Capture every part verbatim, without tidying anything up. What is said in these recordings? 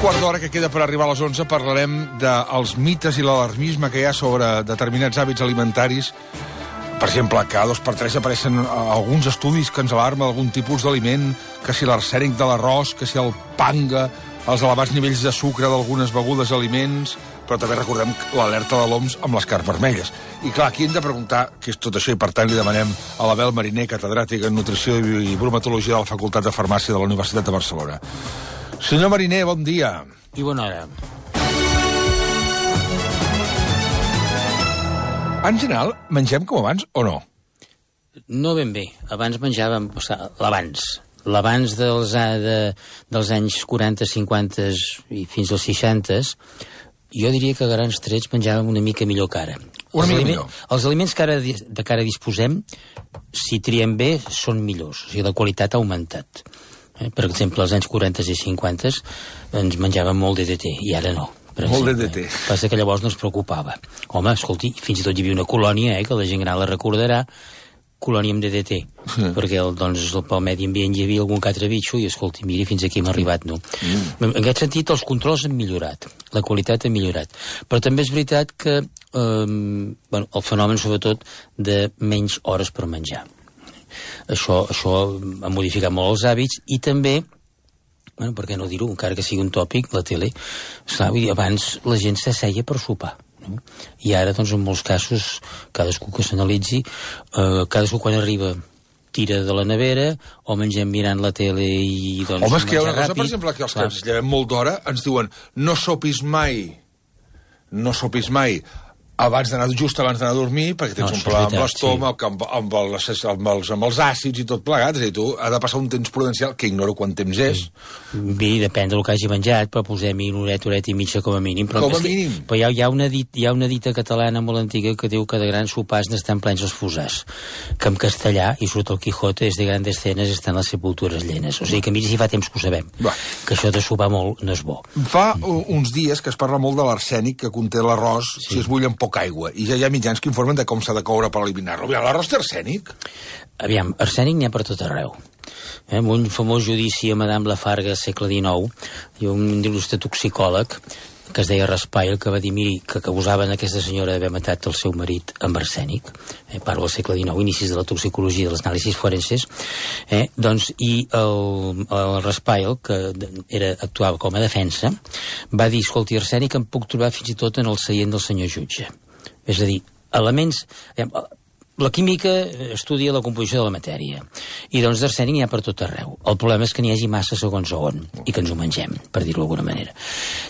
quart d'hora que queda per arribar a les onze parlarem dels mites i l'alarmisme que hi ha sobre determinats hàbits alimentaris. Per exemple, cada dos per tres apareixen alguns estudis que ens alarmen algun tipus d'aliment, que si l'arsènic de l'arròs, que si el panga, els elevats nivells de sucre d'algunes begudes aliments, però també recordem l'alerta de l'O M S amb les carns vermelles. I clar, aquí hem de preguntar què és tot això, i per tant li demanem a l'Abel Mariner, catedràtica en Nutrició i Bromatologia de la Facultat de Farmàcia de la Universitat de Barcelona. Senyor Mariner, bon dia. I bona hora. En general, mengem com abans o no? No ben bé. Abans menjàvem... O sigui, l'abans. L'abans dels, de, dels anys quaranta, cinquanta i fins als seixanta, jo diria que a grans trets menjàvem una mica millor que ara. Una els mica aliment, millor. Els aliments que ara, de que ara disposem, si triem bé, són millors. O sigui, la qualitat ha augmentat. Eh? Per exemple, als anys quaranta i cinquanta ens menjàvem molt D D T, i ara no. Molt D D T. Passa que llavors no ens preocupava. Home, escolti, fins i tot hi havia una colònia, eh, que la gent gran la recordarà, colònia amb D D T, sí. Perquè el, doncs, pel medi ambient hi havia algun que altre bitxo i, escolti, miri, fins aquí hem arribat, no? Mm. En aquest sentit, els controls han millorat, la qualitat ha millorat, però també és veritat que eh, bueno, el fenomen, sobretot, de menys hores per menjar. Això, això ha modificat molt els hàbits i també, bueno, per què no dir-ho, encara que sigui un tòpic, la tele, esclar, vull dir, abans la gent s'asseia per sopar. No? I ara, doncs, en molts casos, cadascú que s'analitzi, eh, cadascú quan arriba tira de la nevera o mengem mirant la tele i, doncs, home, és que hi ha una cosa, ràpid. per exemple, que els que ens llevem molt d'hora ens diuen no sopis mai, no sopis mai, abans d'anar, just abans d'anar a dormir, perquè tens No, un problema amb veritat, l'estómac, sí. amb, amb, els, amb, els, amb els àcids i tot plegat, és a dir, tu ha de passar un temps prudencial, que ignoro quant temps és. Bé, depèn del que hagi menjat, però posem-hi una horeta, horeta i mitja com a mínim. Però Com a que, mínim? Però hi ha, hi, ha una dit, hi ha una dita catalana molt antiga que diu que de grans sopars n'estan plens els fusars, que en castellà, i surt el Quijote, és de grandes cenes estan les sepultures llenes. O sigui que miri si fa temps que ho sabem, Va. que això de sopar molt no és bo. Fa uns dies que es parla molt de l'arsènic que conté l'arròs sí. si es bull amb poca aigua, i ja hi ha mitjans que informen de com s'ha de coure per eliminar-lo. L'arròs té arsènic? Aviam, arsènic n'hi ha per tot arreu. Eh, amb un famós judici a Madame Lafargue, segle dinou, hi ha un il·lustre toxicòleg que es deia Raspail, que va dir, miri, que, que acusaven aquesta senyora d'haver matat el seu marit amb arsènic, eh, parlo del segle dinou, inicis de la toxicologia, de les anàlisis forenses, eh, doncs, i el, el Raspail, que era, actuava com a defensa, va dir, escolti, arsènic em puc trobar fins i tot en el seient del senyor jutge. És a dir, elements... La química estudia la composició de la matèria, i doncs d'arsènic n'hi ha per tot arreu. El problema és que n'hi hagi massa segons on, i que ens ho mengem, per dir-ho d'alguna manera.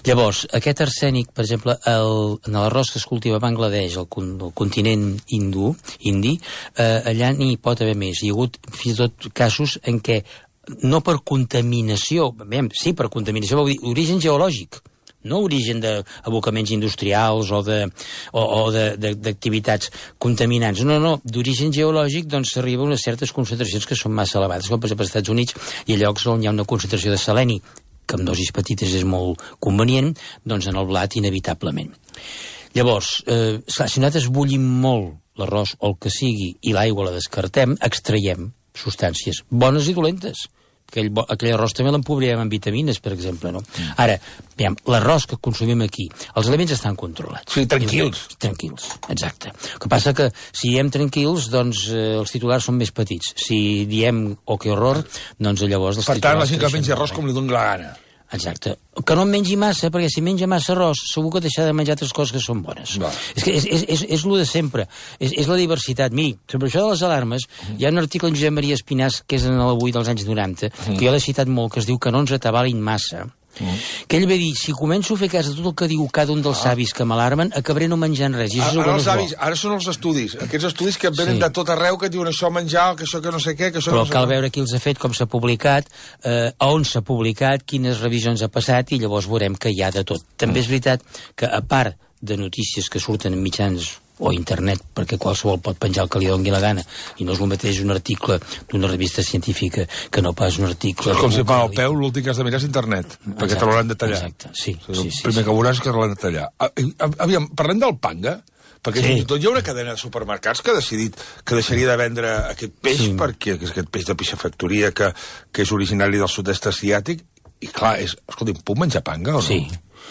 Llavors, aquest arsènic, per exemple, el, en l'arròs que es cultiva a Bangladesh, el, el continent hindú, indi, eh, allà n'hi pot haver més. Hi ha hagut fins i tot casos en què, no per contaminació, bé, sí, per contaminació, vol dir origen geològic, no origen d'abocaments industrials o de, o, o d'activitats contaminants. No, no, d'origen geològic doncs s'arriba a unes certes concentracions que són massa elevades, com per exemple als Estats Units hi ha llocs on hi ha una concentració de seleni, que amb dosis petites és molt convenient, doncs en el blat inevitablement. Llavors, eh, si nosaltres bullim molt l'arròs o el que sigui i l'aigua la descartem, extraiem substàncies bones i dolentes. Aquell, aquell arròs també l'empobrirem amb vitamines, per exemple, no? Mm. Ara, veiem, l'arròs que consumim aquí, els aliments estan controlats. Sí, tranquils. I, tranquils, exacte. El que passa que si diem tranquils, doncs eh, els titulars són més petits. Si diem, oh, que horror, doncs llavors els per titulars... Per tant, la gent que menja arròs eh? com li doni la gana. Exacte. Que no en mengi massa, perquè si menja massa arròs, segur que deixarà de menjar altres coses que són bones. Va. És que és, és, és, és lo de sempre. És, és la diversitat. Miri, sobre això de les alarmes, mm. hi ha un article en Josep Maria Espinàs, que és en l'Avui dels anys noranta, mm. que jo l'he citat molt, que es diu que no ens atabalin massa. Mm. Que ell va dir, si començo a fer cas de tot el que diu cada un dels ah. savis que m'alarmen, acabaré no menjant res. I això ara, és els avis, ara són els estudis, aquests estudis que venen sí. de tot arreu, que diuen això menjar, que això que no sé què, que això però que no sé cal què. Veure qui els ha fet, com s'ha publicat, eh, on s'ha publicat, quines revisions ha passat, i llavors veurem que hi ha de tot. També mm. és veritat que, a part de notícies que surten en mitjans o internet, perquè qualsevol pot penjar el que li doni la gana, i no és el mateix un article d'una revista científica que no pas un article... Com si fa el peu, l'últim que has de mirar és internet, exacte, perquè te l'hauran de tallar. Exacte, sí. O sigui, sí, sí el primer sí. que veuràs és que l'hauran de tallar. Aviam, parlem del panga, perquè sí. fins i tot hi ha una cadena de supermercats que ha decidit que deixaria de vendre aquest peix, sí. perquè és aquest peix de peixafactoria que, que és originari del sud-est asiàtic, I clar, és... Escolta, puc menjar panga o no? Sí.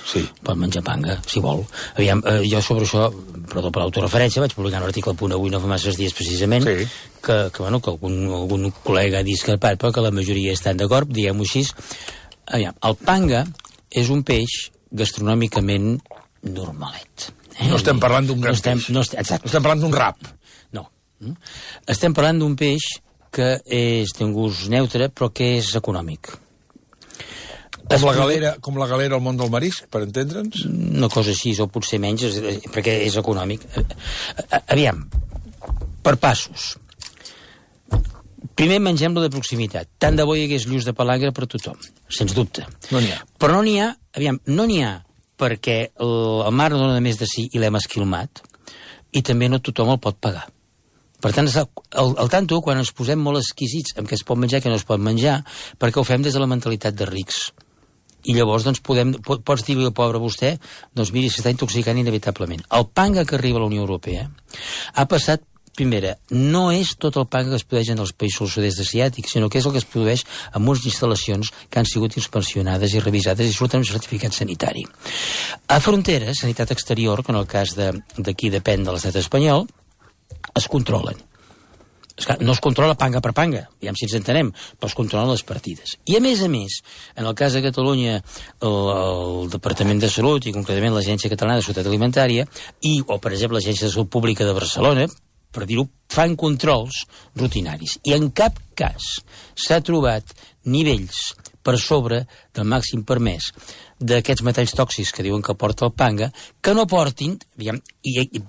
Sí. Pot menjar panga, si vol. Aviam, eh, jo sobre això, perdó per l'autoreferència, vaig publicar un article al Punt Avui no fa masses dies precisament, sí. que, que, bueno, que algun, algun col·lega ha discrepat, però que la majoria estan d'acord, diguem-ho així. Aviam, el panga és un peix gastronòmicament normalet. Eh? No estem parlant d'un gran no estem, peix. No estem, exacte. No estem parlant d'un rap. No. Estem parlant d'un peix que és, té un gust neutre, però que és econòmic. Com la, galera, com la galera al món del marisc, per entendre'ns? Una cosa així, o potser menys, perquè és econòmic. Aviam, per passos. Primer mengem-lo de proximitat. Tant de bo hi hagués lluç de palangre per tothom, sens dubte. No n'hi ha. Però no n'hi ha, aviam, no n'hi ha perquè el, el mar no dona més de si i l'hem esquilmat, i també no tothom el pot pagar. Per tant, al, al tanto, quan ens posem molt exquisits amb què es pot menjar i què no es pot menjar, perquè ho fem des de la mentalitat de rics. I llavors, doncs, podem, pots dir-li al pobre vostè, doncs miri, s'està intoxicant inevitablement. El panga que arriba a la Unió Europea ha passat, primera, no és tot el panga que es produeix en els països del sud-est asiàtic, sinó que és el que es produeix en unes instal·lacions que han sigut inspeccionades i revisades i surten amb certificat sanitari. A fronteres, sanitat exterior, que en el cas d'aquí de, depèn de l'estat espanyol, es controlen. No es controla panga per panga, ja si ens entenem, però es controlen les partides. I a més a més, en el cas de Catalunya, el, el Departament de Salut i concretament l'Agència Catalana de Seguretat Alimentària i, o per exemple, l'Agència de Salut Pública de Barcelona, per dir-ho, fan controls rutinaris. I en cap cas s'ha trobat nivells per sobre del màxim permès d'aquests metalls tòxics que diuen que porta el panga, que no portin, diguem, i, i,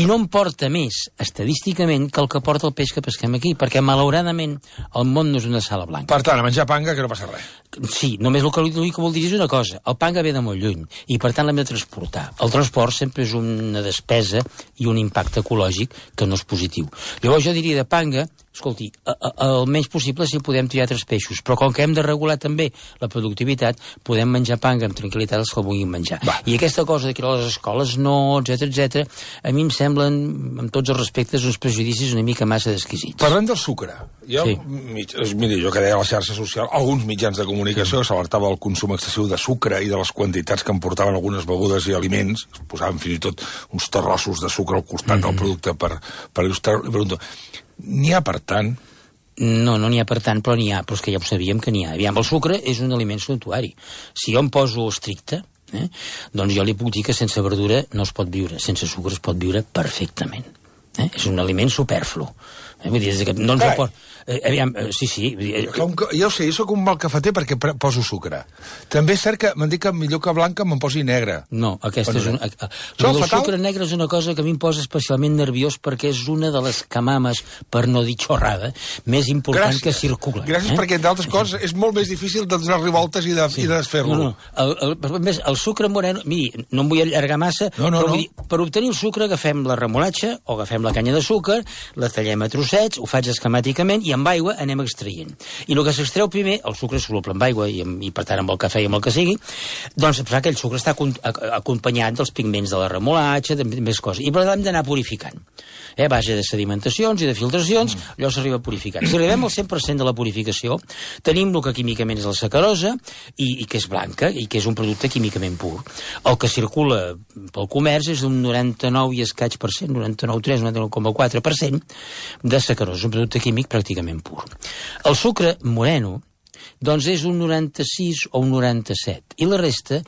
i no en porta més estadísticament que el que porta el peix que pesquem aquí, perquè malauradament el món no és una sala blanca. Per tant, a menjar panga que no passa res. Sí, només el que, el que vol dir és una cosa, el panga ve de molt lluny, i per tant l'hem de transportar. El transport sempre és una despesa i un impacte ecològic que no és positiu. Llavors jo diria de panga, escolti, el menys possible si podem triar altres peixos, però com que hem de regular també la productivitat, podem menjar panga amb tranquil·litat els que el vulguin menjar. Va. I aquesta cosa de que a les escoles no, etcètera, etcètera, a mi em semblen, amb tots els respectes, uns prejudicis una mica massa exquisits. Parlem del sucre. Jo, sí. mig, miri, jo que deia a la xarxa social, alguns mitjans de comunicació sí. s'alertava del consum excessiu de sucre i de les quantitats que emportaven algunes begudes i aliments, es posaven fins i tot uns terrossos de sucre al costat mm-hmm. del producte per, per il·lustrar-ho. N'hi ha per tant? No, no n'hi ha per tant, però n'hi ha, però és que ja ho sabíem que n'hi ha. Aviam, el sucre és un aliment suntuari. Si jo em poso estricte, eh, doncs jo li puc dir que sense verdura no es pot viure, sense sucre es pot viure perfectament. Eh? És un aliment superflu. Eh? Vull dir, que no ens ho pot... Eh, aviam, eh, sí, sí. Com que, jo sé, jo soc un mal cafeter perquè poso sucre. També és cert que m'han dit que millor que blanca me'n posi negre. No, aquesta és una... El sucre negre és una cosa que a mi em posa especialment nerviós perquè és una de les camames, per no dir xorrada, més important Gràcies. que circula. Gràcies, eh? perquè d'altres coses és molt més difícil de donar-li voltes i de, sí. i de desfer-lo. No, no. El, el, el, el sucre moreno... Miri, no em vull allargar massa, no, no, però no. Vull dir, per obtenir el sucre agafem la remolatxa o agafem la canya de sucre, la tallem a trossets, ho faig esquemàticament i amb aigua anem extraient. I el que s'extreu primer, el sucre és soluble amb aigua i, amb, i per tant amb el cafè i amb el que sigui, doncs que aquell sucre està acompanyat dels pigments de la remolatxa, de més coses. I per tant hem d'anar purificant. Eh, a base de sedimentacions i de filtracions, mm. allò s'arriba purificant. Si arribem al cent per cent de la purificació, tenim el que químicament és la sacarosa i, i que és blanca i que és un producte químicament pur. El que circula pel comerç és d'un noranta-nou i escaig per cent, noranta-nou coma tres, noranta-nou coma quatre per cent de sacarosa, un producte químic pràcticament pur. El sucre moreno, doncs és un noranta-sis o un noranta-set, i la resta,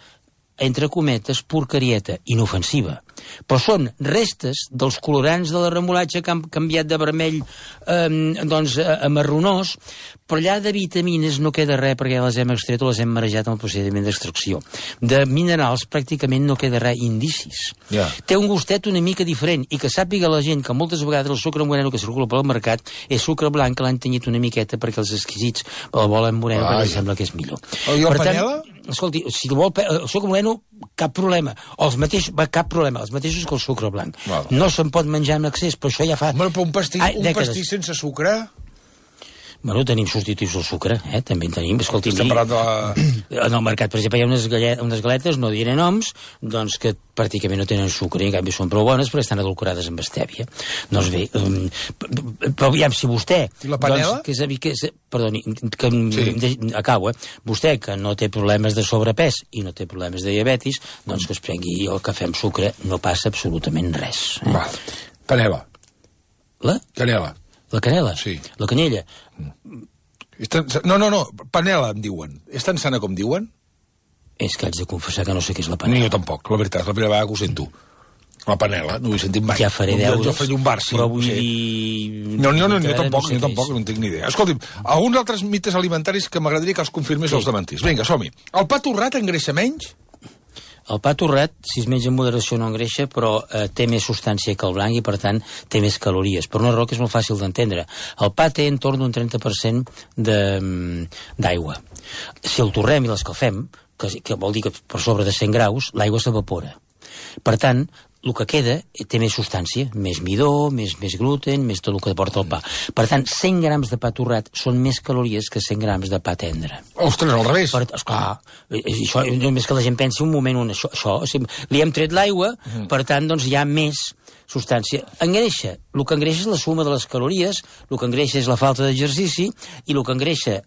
entre cometes, porcarieta, inofensiva. Però són restes dels colorants de la remolatxa que han canviat de vermell eh, doncs, a, a marronós, però allà de vitamines no queda res perquè ja les hem extret o les hem marejat en el procediment d'extracció. De minerals pràcticament no queda res, indicis. Yeah. Té un gustet una mica diferent i que sàpiga la gent que moltes vegades el sucre moreno que circula pel mercat és sucre blanc que l'han tenyit una miqueta perquè els exquisits el volen moreno perquè els sembla que és millor. I el panela? Escolti, si el vol el sucre moreno, cap problema. O els mateixos, cap problema, els mateixos que el sucre blanc. Val. No se'n pot menjar en excés, però això ja fa... Home, però un pastís, Ai, un pastís sense sucre? Bueno, tenim substituts del sucre, eh? També en tenim. Escolti, Estem parlant de la... En el mercat, per exemple, hi ha unes, gallet, unes galetes, no diré noms, doncs que pràcticament no tenen sucre, i en canvi són prou bones, però estan adulcorades amb estèvia. Doncs bé, um, però aviam, si vostè... I la panela? Doncs, que és, que és, perdoni, que sí. de, acabo, eh? Vostè, que no té problemes de sobrepès i no té problemes de diabetis, doncs que es prengui el cafè amb sucre, no passa absolutament res. Eh? Va, panela. La? Canela. La canela? Sí. La canyella? Tan... No, no, no, panela em diuen. És tan sana com diuen? És que haig de confessar que no sé què és la Ni panela. jo tampoc, la veritat, la primera vegada que ho sento. La panela, no ho he sentit mai. Ja faré deures, jo faré un bar, sí. però vull sí. dir... No, no, no, no, jo tampoc, no sé jo tampoc, no en tinc ni idea. Escolti'm, alguns altres mites alimentaris que m'agradaria que els confirmés Sí. els demantís. Vinga, som-hi. El pa torrat engreixa menys? El pa torrat, si es menja en moderació, no engreixa, però eh, té més substància que el blanc i, per tant, té més calories. Per una raó que és molt fàcil d'entendre. El pa té entorn d'un trenta per cent d'aigua. Si el torrem i l'escalfem, que, que vol dir que per sobre de cent graus, l'aigua s'evapora. Per tant, el que queda té més substància, més midó, més, més gluten, més tot el que porta el pa. Per tant, cent grams de pa torrat són més calories que cent grams de pa tendre. Ostres, al revés. Per, esclar, això, només que la gent pensi un moment on això, això o sigui, li hem tret l'aigua, mm. per tant, doncs hi ha més substància. Engreixa. El que engreixa és la suma de les calories, el que engreixa és la falta d'exercici, i el que engreixa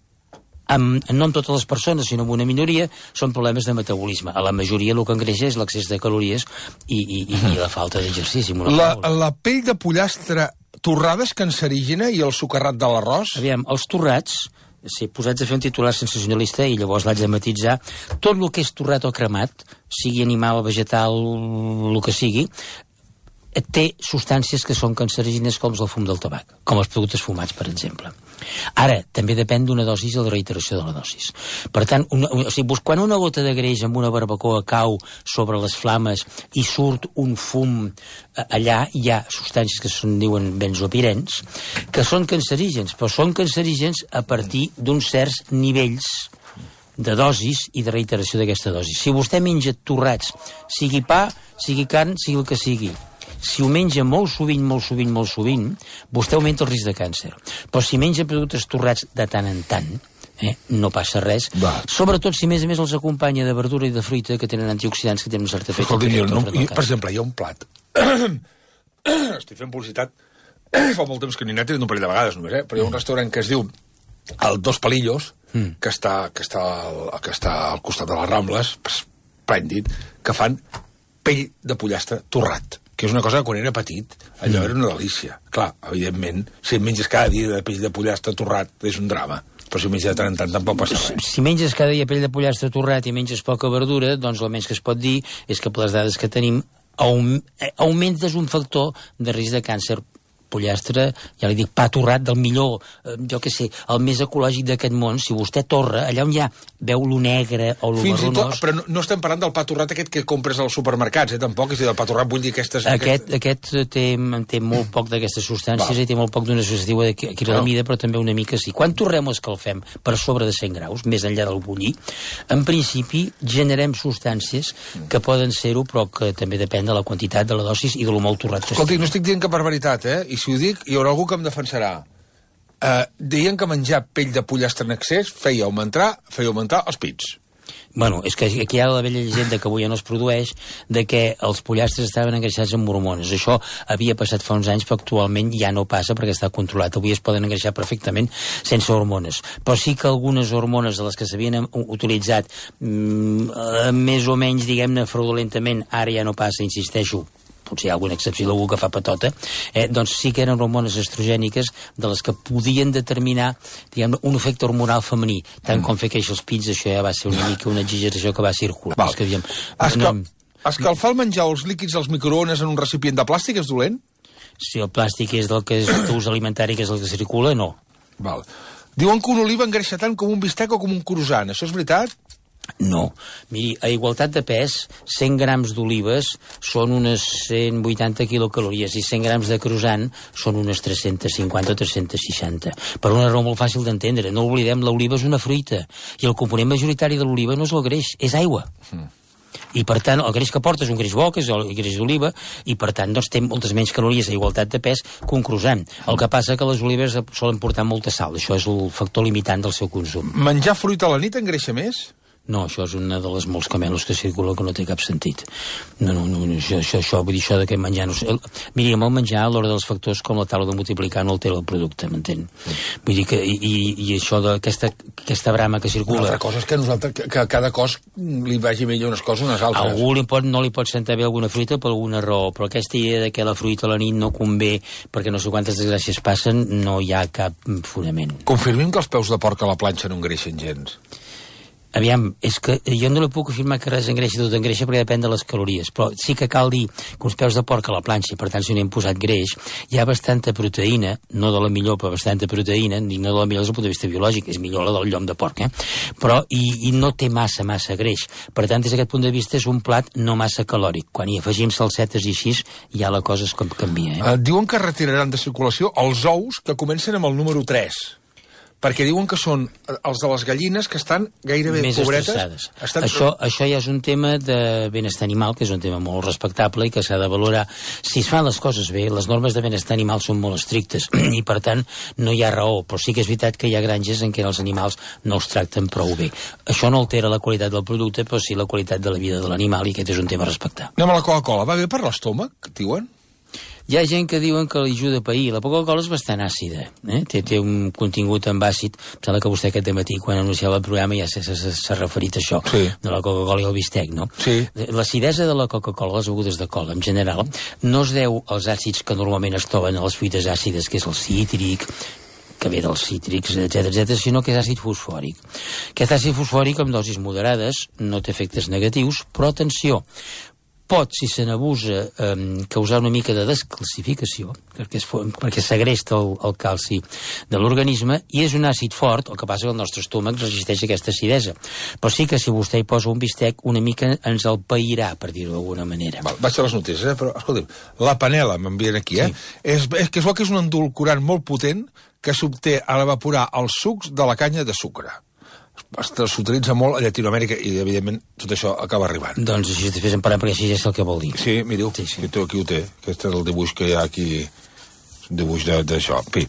amb, no en totes les persones, sinó en una minoria, són problemes de metabolisme. A la majoria el que engreixa és l'excés de calories i, i, i, i la falta d'exercici. La, la pell de pollastre torrada és cancerígena i el sucarrat de l'arròs? Aviam, els torrats, si posats a fer un titular sensacionalista i llavors l'haig de matitzar, tot el que és torrat o cremat, sigui animal, vegetal, el que sigui, té substàncies que són cancerígenes com el fum del tabac, com els productes fumats, per exemple. Ara, també depèn d'una dosis i de la reiteració de la dosis. Per tant, una, o sigui, quan una gota de greix amb una barbacoa cau sobre les flames i surt un fum allà, hi ha substàncies que se'n diuen benzopirens, que són cancerígens, però són cancerígens a partir d'uns certs nivells de dosis i de reiteració d'aquesta dosis. Si vostè menja torrats, sigui pa, sigui carn, sigui el que sigui, si ho menja molt sovint, molt sovint, molt sovint, vostè augmenta el risc de càncer. Però si menja productes torrats de tant en tant, eh, no passa res. Va. Sobretot si, a més a més, els acompanya de verdura i de fruita que tenen antioxidants que tenen un cert efecte. Escolti, no, i, per exemple, hi ha un plat. Estic fent publicitat. Fa molt temps que n'hi he anat, un parell de vegades només, eh? Però hi ha un restaurant que es diu el Dos Palillos, mm. que, està, que, està al, que està al costat de les Rambles, esplèndid, que fan pell de pollastre torrat, que és una cosa que quan era petit allò mm. era una delícia. Clar, evidentment, si menges cada dia de pell de pollastre torrat és un drama, però si menges de tant en tant tampoc passa res. Si menges cada dia pell de pollastre torrat i menges poca verdura, doncs el menys que es pot dir és que per les dades que tenim augmentes un factor de risc de càncer. Pollastre, ja li dic, pa torrat del millor, eh, jo què sé, el més ecològic d'aquest món. Si vostè torra, allà on hi ha, veu lo negre o lo Fins marronós... Tot, però no, no estem parlant del pa torrat aquest que compres als supermercats, eh, tampoc, és a dir, del pa torrat vull dir aquestes... Aquest, aquest té, té molt poc d'aquestes substàncies. Va. I té molt poc d'una associativa de acrilamida, no. Però també una mica sí. Quan torrem o escalfem per sobre de cent graus, més enllà del bullir, en principi generem substàncies que poden ser-ho, però que també depèn de la quantitat, de la dosis i de lo molt torrat que estic. Escolti, no estic dient cap barbaritat, eh? I si ho dic, hi haurà algú que em defensarà. Uh, deien que menjar pell de pollastre en excés feia augmentar, feia augmentar els pits. Bueno, és que aquí hi ha la vella llegenda que avui ja no es produeix, de que els pollastres estaven engreixats amb hormones. Això havia passat fa uns anys, però actualment ja no passa perquè està controlat. Avui es poden engreixar perfectament sense hormones. Però sí que algunes hormones de les que s'havien utilitzat mm, més o menys, diguem-ne, fraudulentament, ara ja no passa, insisteixo, potser hi ha alguna excepció d'algú que fa patota, eh, doncs sí que eren hormones estrogèniques de les que podien determinar, diguem, un efecte hormonal femení. Tant mm. com fer créixer els pits, això ja va ser una mica una exageració que va circular. Val. És que, diguem, Escal no... Escalfar el menjar o els líquids als microones en un recipient de plàstic és dolent? Si el plàstic és del que és d'ús alimentari, que és el que circula, no. Val. Diuen que una oliva engreixa tant com un bistec o com un croissant. Això és veritat? No. Miri, a igualtat de pes, cent grams d'olives són unes cent vuitanta quilocalories i cent grams de croissant són unes tres-cents cinquanta o tres-cents seixanta. Per una raó molt fàcil d'entendre. No oblidem, l'oliva és una fruita i el component majoritari de l'oliva no és el greix, és aigua. Mm. I per tant, el greix que porta és un greix bo, que és el greix d'oliva, i per tant doncs, té moltes menys calories a igualtat de pes que un croissant. El que passa que les olives solen portar molta sal, això és el factor limitant del seu consum. Menjar fruita a la nit engreixa més? No, això és una de les molts camelos que circula que no té cap sentit. No, no, no, això, això, això vull dir, això de que menjar... No sé, miri, amb el menjar, a l'hora dels factors, com la taula de multiplicar, no altera el producte, m'entén? Sí. Vull dir que, i, i això d'aquesta aquesta brama que circula... Una altra cosa és que, nosaltres, que, que a cada cos li vagi millor unes coses unes altres. Algú li pot, no li pot sentar bé alguna fruita per alguna raó, però aquesta idea de que la fruita a la nit no convé perquè no sé quantes desgràcies passen, no hi ha cap fonament. Confirmem que els peus de porc a la planxa no engreixen gens. Aviam, és que jo no li puc afirmar que res engreixa, tot engreixa perquè depèn de les calories, però sí que cal dir que uns peus de porc a la planxa, per tant si no hi hem posat greix, hi ha bastanta proteïna, no de la millor, però bastanta proteïna, i no de la millor des del punt de vista biològic, és millor la del llom de porc, eh? Però i, i no té massa, massa greix. Per tant, des d'aquest punt de vista és un plat no massa calòric. Quan hi afegim salsetes i així, ja la cosa es canvia. Eh? Uh, diuen que retiraran de circulació els ous que comencen amb el número tres. Perquè diuen que són els de les gallines que estan gairebé més pobretes. Estan... Això, això ja és un tema de benestar animal, que és un tema molt respectable i que s'ha de valorar. Si es fan les coses bé, les normes de benestar animal són molt estrictes i, per tant, no hi ha raó. Però sí que és veritat que hi ha granges en què els animals no els tracten prou bé. Això no altera la qualitat del producte, però sí la qualitat de la vida de l'animal, i aquest és un tema a respectar. Anem a la Coca-Cola. Va bé per l'estómac, diuen? Hi ha gent que diuen que li ajuda a pair. La Coca-Cola és bastant àcida, eh? té, té un contingut amb àcid. Em sembla que vostè aquest dematí, quan anunciava el programa, ja s'ha referit a això, sí. de la Coca-Cola i el bistec, no? Sí. L'acidesa de la Coca-Cola, les begudes de cola, en general, no es deu als àcids que normalment es troben a les fruites àcides, que és el cítric, que ve dels cítrics, etcètera, etcètera, sinó que és àcid fosfòric. Aquest àcid fosfòric, amb dosis moderades, no té efectes negatius, però atenció, pot, si se n'abusa, eh, causar una mica de descalcificació, perquè, es, perquè segresta el, el calci de l'organisme, i és un àcid fort, el que passa que el nostre estómac resisteix aquesta acidesa. Però sí que si vostè hi posa un bistec, una mica ens el pairà, per dir-ho d'alguna manera. Val, vaig a les notícies, eh? Però, escolta'm, la panela, m'envien aquí, eh? Sí. És, és que és que és un endolcorant molt potent que s'obté a l'evaporar els sucs de la canya de sucre. S'utilitza molt a Llatinoamèrica i, evidentment, tot això acaba arribant. Doncs així t'hi fes emparar, perquè així ja sé el que vol dir. Sí, miriu, sí, sí. Aquí ho té. Aquest és el dibuix que hi ha aquí, un dibuix d'això. En fi.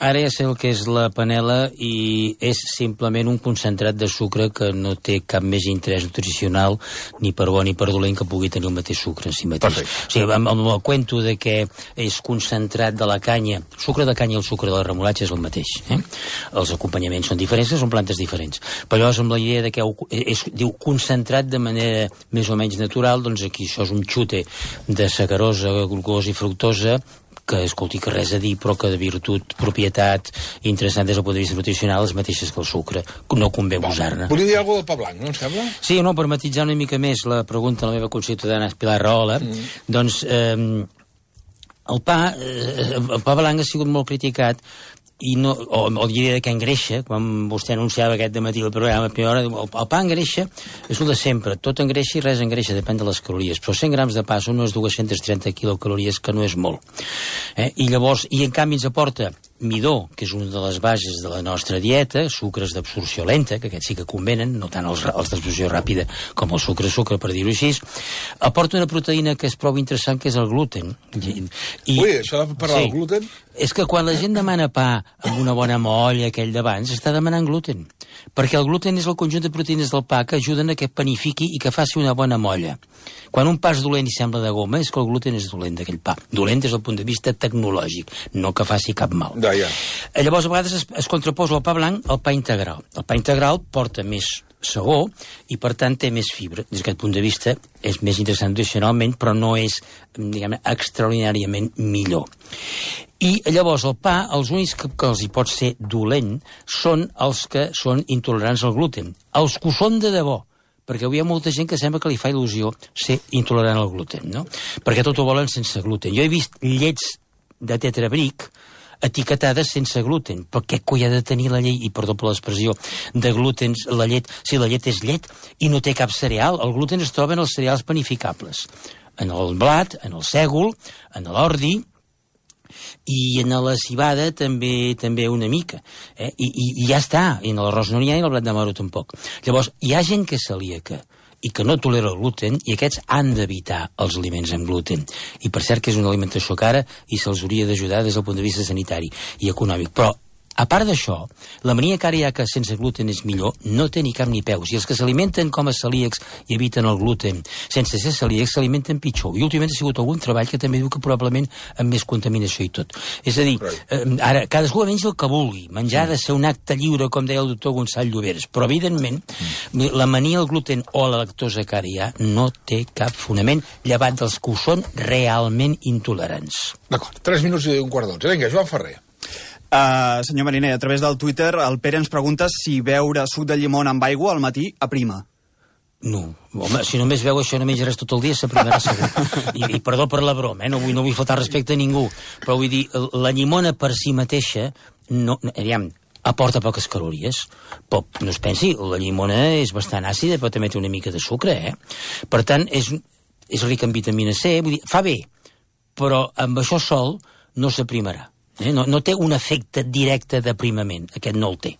Ara ja sé el que és la panela i és simplement un concentrat de sucre que no té cap més interès nutricional ni per bo ni per dolent que pugui tenir el mateix sucre en si mateix. Perfecte. O sigui, amb, amb el cuento de que és concentrat de la canya, el sucre de canya i el sucre de la remolatxa és el mateix. Eh? Els acompanyaments són diferents, són plantes diferents. Però llavors amb la idea de que és, diu concentrat de manera més o menys natural, doncs aquí això és un xute de sacarosa, glucosa i fructosa, que, escolti, que res a dir, però que de virtut, propietat interessant des del punt de vista nutricional, les mateixes que el sucre. No convé abusar-ne. Volia dir alguna cosa del pa blanc, no em sembla? Sí, no, per matitzar una mica més la pregunta a la meva conciutadana Pilar Rahola, mm. doncs eh, el pa, eh, el pa blanc ha sigut molt criticat i no, o, o diria que engreixa, quan vostè anunciava aquest dematí el programa a primera hora, el, el pa engreixa, és el de sempre, tot engreixa i res engreixa, depèn de les calories, però cent grams de pa són unes dues-centes trenta quilocalories, que no és molt. Eh? I llavors, i en canvi ens aporta midó, que és una de les bases de la nostra dieta, sucres d'absorció lenta, que aquests sí que convenen, no tant els, els d'absorció ràpida com el sucre-sucre, per dir-ho així, aporta una proteïna que és prou interessant, que és el gluten. I, i, Ui, això de parlar sí, del gluten? És que quan la gent demana pa amb una bona molla, aquell d'abans, està demanant gluten. Perquè el gluten és el conjunt de proteïnes del pa que ajuden a que panifiqui i que faci una bona molla. Quan un pa és dolent i sembla de goma, és que el gluten és dolent d'aquell pa. Dolent des del punt de vista tecnològic, no que faci cap mal. Ja, ja. Llavors, a vegades es, es contraposa el pa blanc al pa integral. El pa integral porta més sagó i, per tant, té més fibra. Des d'aquest punt de vista, és més interessant nutricionalment, però no és, diguem, extraordinàriament millor. I llavors el pa, els únics que, que els hi pot ser dolent són els que són intolerants al gluten. Els que ho són de debò, perquè avui hi ha molta gent que sembla que li fa il·lusió ser intolerant al gluten, no? Perquè tot ho volen sense gluten. Jo he vist llets de tetrabric etiquetades sense gluten, però què coi ha de tenir la llei, i perdó per l'expressió, de gluten, la llet, si la llet és llet i no té cap cereal, el gluten es troba en els cereals panificables, en el blat, en el sègol, en l'ordi, i en la cibada també també una mica, eh? I, i, i ja està, i en l'arròs no n'hi ha i en el blat de moro tampoc. Llavors, hi ha gent que és celíaca, i que no tolera el gluten, i aquests han d'evitar els aliments amb gluten. I per cert que és una alimentació cara i se'ls hauria d'ajudar des del punt de vista sanitari i econòmic. Però a part d'això, la mania cardíaca sense gluten és millor, no té ni cap ni peus. I els que s'alimenten com a celíacs i eviten el gluten sense ser celíacs s'alimenten pitjor. I últimament ha sigut algun treball que també diu que probablement amb més contaminació i tot. És a dir, eh, ara, cadascú menja el que vulgui. Menjar ha de ser un acte lliure, com deia el doctor Gonçal Lloberes. Però, evidentment, la mania al gluten o a la lactosa que ara hi ha no té cap fonament, llevat dels que ho són realment intolerants. D'acord, tres minuts i un quart d'onze. Vinga, Joan Ferrer. Uh, senyor Mariner, a través del Twitter el Pere ens pregunta si beure suc de llimona amb aigua al matí aprima. No, home, si només veu això no menjaràs tot el dia, s'aprimarà segur. I, I perdó per la broma, eh? no, vull, no vull faltar respecte a ningú, però vull dir, la llimona per si mateixa, no, aviam, aporta poques calories. Però no es pensi, la llimona és bastant àcida, però també té una mica de sucre, eh? Per tant, és, és rica en vitamina C, vull dir, fa bé, però amb això sol no s'aprimarà. Eh? No, no té un efecte directe d'aprimament, aquest no el té.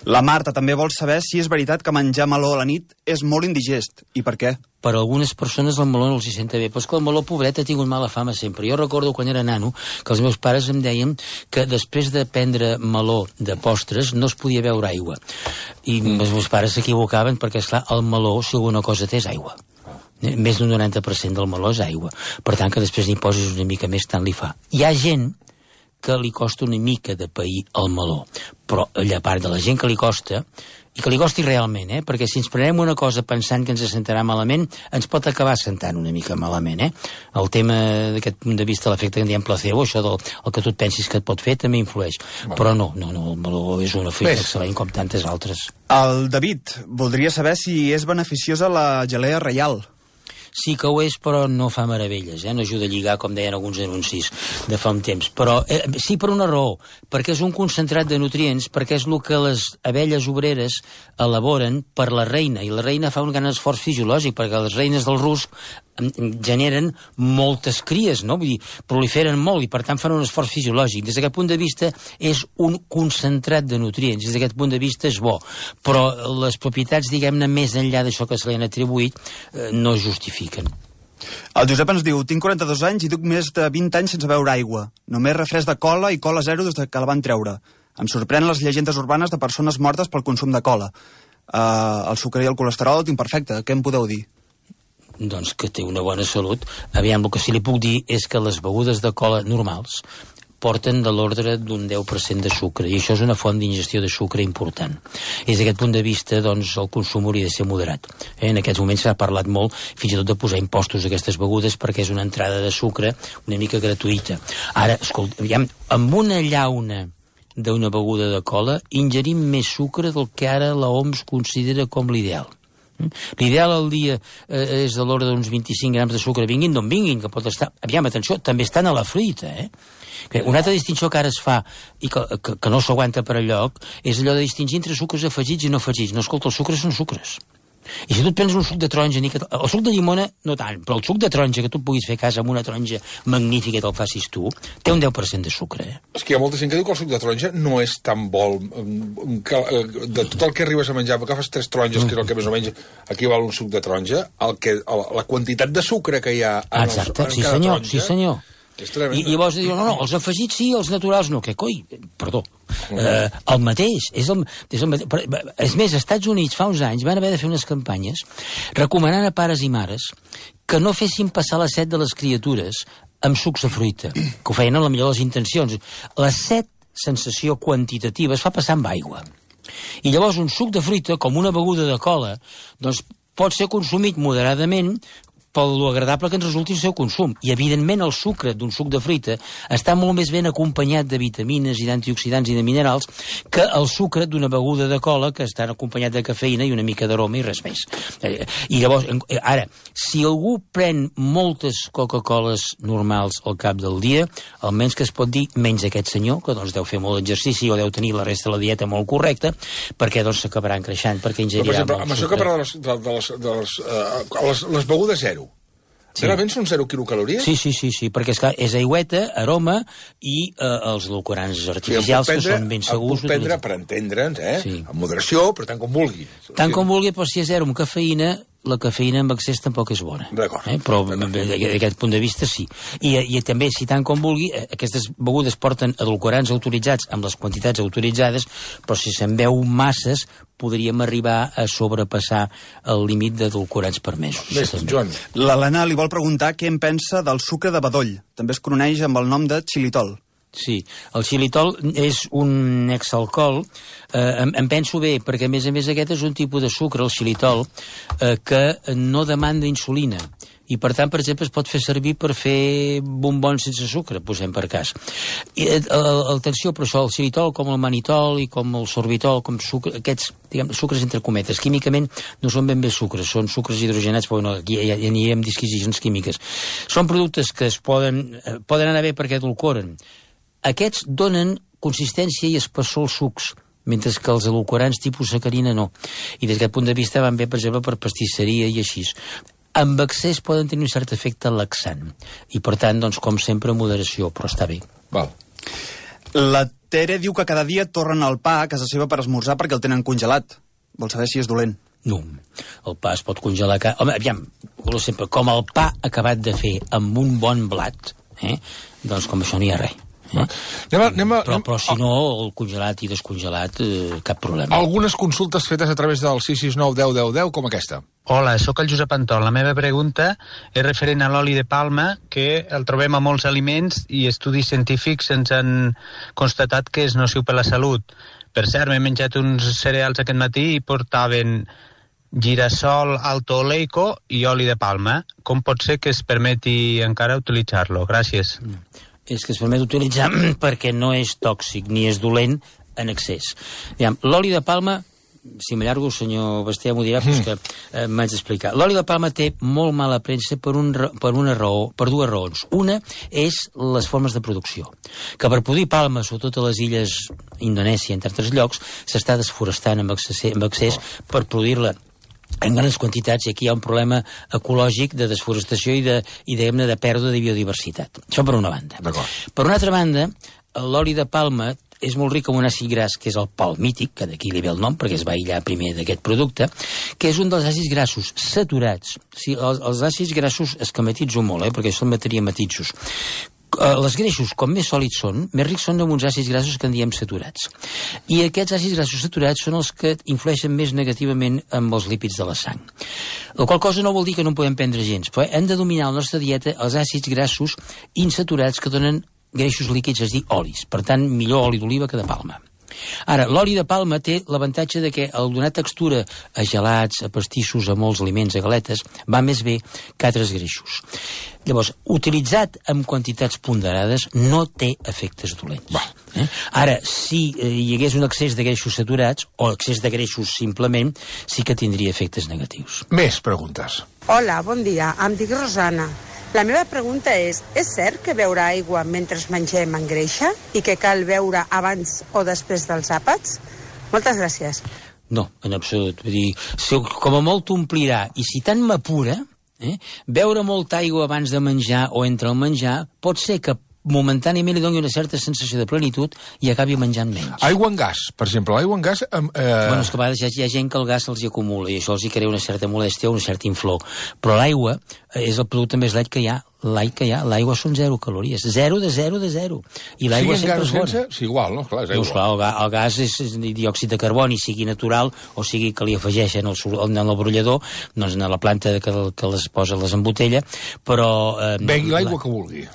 La Marta també vol saber si és veritat que menjar meló a la nit és molt indigest, i per què? Per a algunes persones el meló no els hi senta bé, però és que el meló, pobret, ha tingut mala fama sempre. Jo recordo quan era nano que els meus pares em deien que després de prendre meló de postres no es podia beure aigua. I mm. els meus pares s'equivocaven perquè, esclar, el meló, si alguna cosa té, és aigua. Més d'un noranta per cent del meló és aigua. Per tant, que després n'hi posis una mica més, tant li fa. Hi ha gent que li costa una mica de pair el meló, però a part de la gent que li costa, i que li costi realment, eh? Perquè si ens prenem una cosa pensant que ens sentarà malament, ens pot acabar sentant una mica malament, eh? El tema d'aquest punt de vista, l'efecte que en diem placebo, això del el que tu et pensis que et pot fer, també influeix. Bueno. Però no, no, no, el meló és una fruita excel·lent com tantes altres. El David voldria saber si és beneficiosa la gelea reial. Sí que ho és, però no fa meravelles, eh? No ajuda a lligar, com deien alguns anuncis de fa un temps. Però eh, sí per una raó, perquè és un concentrat de nutrients, perquè és el que les abelles obreres elaboren per la reina, i la reina fa un gran esforç fisiològic, perquè les reines del rusc generen moltes cries, no? Vull dir, proliferen molt i per tant fan un esforç fisiològic. Des d'aquest punt de vista és un concentrat de nutrients, des d'aquest punt de vista és bo, però les propietats, diguem-ne, més enllà d'això que se li han atribuït, eh, no es justifiquen. El Josep ens diu, tinc quaranta-dos anys i duc més de vint anys sense beure aigua. Només refresc de cola i cola zero des que la van treure. Em sorprenen les llegendes urbanes de persones mortes pel consum de cola. Uh, el sucre i el colesterol el tinc perfecte. Què em podeu dir? Doncs que té una bona salut. Aviam, el que sí li puc dir és que les begudes de cola normals porten de l'ordre d'un deu per cent de sucre, i això és una font d'ingestió de sucre important. I des d'aquest punt de vista, doncs, el consum hauria de ser moderat. Eh? En aquests moments s'ha parlat molt, fins i tot de posar impostos a aquestes begudes, perquè és una entrada de sucre una mica gratuïta. Ara, escolta, aviam, amb una llauna d'una beguda de cola ingerim més sucre del que ara la O M S considera com l'ideal. L'ideal al dia eh, és de l'ordre d'uns vint-i-cinc grams de sucre, vinguin d'on vinguin, que pot estar... Aviam, atenció, també estan a la fruita, eh? Una altra distinció que ara es fa i que, que, que no s'aguanta per enlloc és allò de distingir entre sucres afegits i no afegits. No, escolta, els sucres són sucres. I si tu et prens un suc de taronja, ni que... el suc de llimona no tant, però el suc de taronja que tu puguis fer a casa amb una taronja magnífica i te'l facis tu, té un deu per cent de sucre. Eh? És que hi ha molta gent que diu que el suc de taronja no és tan bo, que, de tot el que arribes a menjar, perquè agafes tres taronges, que és el que més o menys equival un suc de taronja, el que, la quantitat de sucre que hi ha en, exacte, el, en sí, cada senyor, taronja... Sí, senyor. I, i llavors diuen, no, no, els afegits sí, els naturals no. Què coi? Perdó. Mm. Eh, el mateix. És, el, és, el mateix. És més, als Estats Units fa uns anys van haver de fer unes campanyes recomanant a pares i mares que no fessin passar la set de les criatures amb sucs de fruita, que ho feien amb la millor de les intencions. La set, sensació quantitativa, es fa passar amb aigua. I llavors un suc de fruita, com una beguda de cola, doncs pot ser consumit moderadament pel lo agradable que ens resulti el seu consum. I, evidentment, el sucre d'un suc de fruita està molt més ben acompanyat de vitamines i d'antioxidants i de minerals que el sucre d'una beguda de cola que està acompanyat de cafeïna i una mica d'aroma i res més. I llavors, ara, si algú pren moltes Coca-Coles normals al cap del dia, almenys que es pot dir menys aquest senyor, que doncs deu fer molt exercici o deu tenir la resta de la dieta molt correcta, perquè doncs s'acabaran creixant, perquè ingerirà molt sucre. Amb això que parla de les, de les, de les, uh, les, les begudes zero, sí. Realment són zero quilocalories? Sí, sí, sí, sí, perquè és, clar, és aigüeta, aroma i eh, els edulcorants artificials, sí, prendre, que són ben segurs. El puc prendre per entendre'ns, eh? Sí. Amb moderació, però tant com vulgui. Tant com vulgui, però si és zero amb cafeïna, la cafeïna amb excés tampoc és bona. D'acord. Eh? Però d'aquest punt de vista sí. I, i també, si tant com vulgui, aquestes begudes porten edulcorants autoritzats amb les quantitats autoritzades, però si se'n veu masses, podríem arribar a sobrepassar el límit d'edulcorants permesos. Més, Joan. L'Helena li vol preguntar què en pensa del sucre de bedoll. També es coneix amb el nom de xilitol. Sí, el xilitol és un exalcohol, eh, em, em penso bé, perquè a més a més aquest és un tipus de sucre, el xilitol, eh, que no demanda insulina, i per tant, per exemple, es pot fer servir per fer bombons sense sucre, posem per cas. I, eh, atenció, però això, el xilitol, com el manitol i com el sorbitol, com sucre, aquests, diguem, sucres entre cometes, químicament no són ben bé sucres, són sucres hidrogenats, però no, aquí ja, ja anirem disquisicions químiques. Són productes que es poden, eh, poden anar bé perquè edulcoren. Aquests donen consistència i espessor als sucs, mentre que els edulcorants tipus sacarina no. I des d'aquest punt de vista van bé, per exemple, per pastisseria i així. Amb excés poden tenir un cert efecte laxant. I, per tant, doncs, com sempre, moderació, però està bé. Val. La Tere diu que cada dia tornen el pa a casa seva per esmorzar perquè el tenen congelat. Vol saber si és dolent. No, el pa es pot congelar... Ca... Home, aviam, sempre, com el pa acabat de fer amb un bon blat, eh? Doncs com això no hi ha res. Eh? Anem a, anem a, però, però si no, el congelat i descongelat, eh, cap problema. Algunes consultes fetes a través del sis sis nou deu deu deu, com aquesta. Hola, sóc el Josep Antón. La meva pregunta és referent a l'oli de palma, que el trobem a molts aliments i estudis científics ens han constatat que és nociu per la salut. Per cert, m'he menjat uns cereals aquest matí i portaven girassol alto oleico i oli de palma. Com pot ser que es permeti encara utilitzar-lo? Gràcies. Mm. És que es permet utilitzar perquè no és tòxic ni és dolent en excés. L'oli de palma, si m'allargo, senyor Basté m'ho dirà, mm. que eh, m'haig d'explicar. L'oli de palma té molt mala premsa per, un, per una raó, per dues raons. Una és les formes de producció. Que per produir palma, sobretot a les illes Indonèsia, entre altres llocs, s'està desforestant amb excés, amb excés oh. per produir-la en grans quantitats, i aquí hi ha un problema ecològic de desforestació i de, i de, de pèrdua de biodiversitat. Això per una banda. Per una altra banda, l'oli de palma és molt ric en un àcid gras, que és el palmític, que d'aquí li ve el nom, perquè es va aïllar primer d'aquest producte, que és un dels àcids grassos saturats. Sí, els, els àcids grassos es que matitzo molt, eh, perquè són matèria matitsos. Els greixos, com més sòlids són, més rics són en uns àcids grassos que en diem saturats. I aquests àcids grassos saturats són els que influeixen més negativament amb els lípids de la sang. La qual cosa no vol dir que no en podem prendre gens, però hem de dominar a la nostra dieta els àcids grassos insaturats que donen greixos líquids, és a dir, olis. Per tant, millor oli d'oliva que de palma. Ara, l'oli de palma té l'avantatge de que al donar textura a gelats, a pastissos, a molts aliments, a galetes, va més bé que altres greixos. Llavors, utilitzat amb quantitats ponderades no té efectes dolents. Eh? Ara, si eh, hi hagués un excés de greixos saturats o excés de greixos simplement, sí que tindria efectes negatius. Més preguntes. Hola, bon dia. Em dic Rosana. La meva pregunta és, és cert que beure aigua mentre mengem engreixa i que cal beure abans o després dels àpats? Moltes gràcies. No, en absolut. Vull dir, si, com a molt t'omplirà, i si tant m'apura, eh, beure molta aigua abans de menjar o entre el menjar pot ser que momentàniament li doni una certa sensació de plenitud i acabi menjant menys. Aigua en gas, per exemple. Aigua en gas... Eh... Bueno, és que a vegades hi ha, hi ha gent que el gas se'ls acumula i això els hi crea una certa molèstia o una certa inflor. Però l'aigua és el producte més light que hi ha. L'aigua que hi ha, l'aigua són zero calories. Zero de zero de zero. I l'aigua sempre és bona. Sí, igual, no? Clar, és aigua. No, esclar, el, ga, el gas és, és diòxid de carboni, sigui natural o sigui que li afegeixen el, en el brollador, doncs en la planta que, que les posa, les embotella, però... Eh, begui l'aigua la... que vulgui.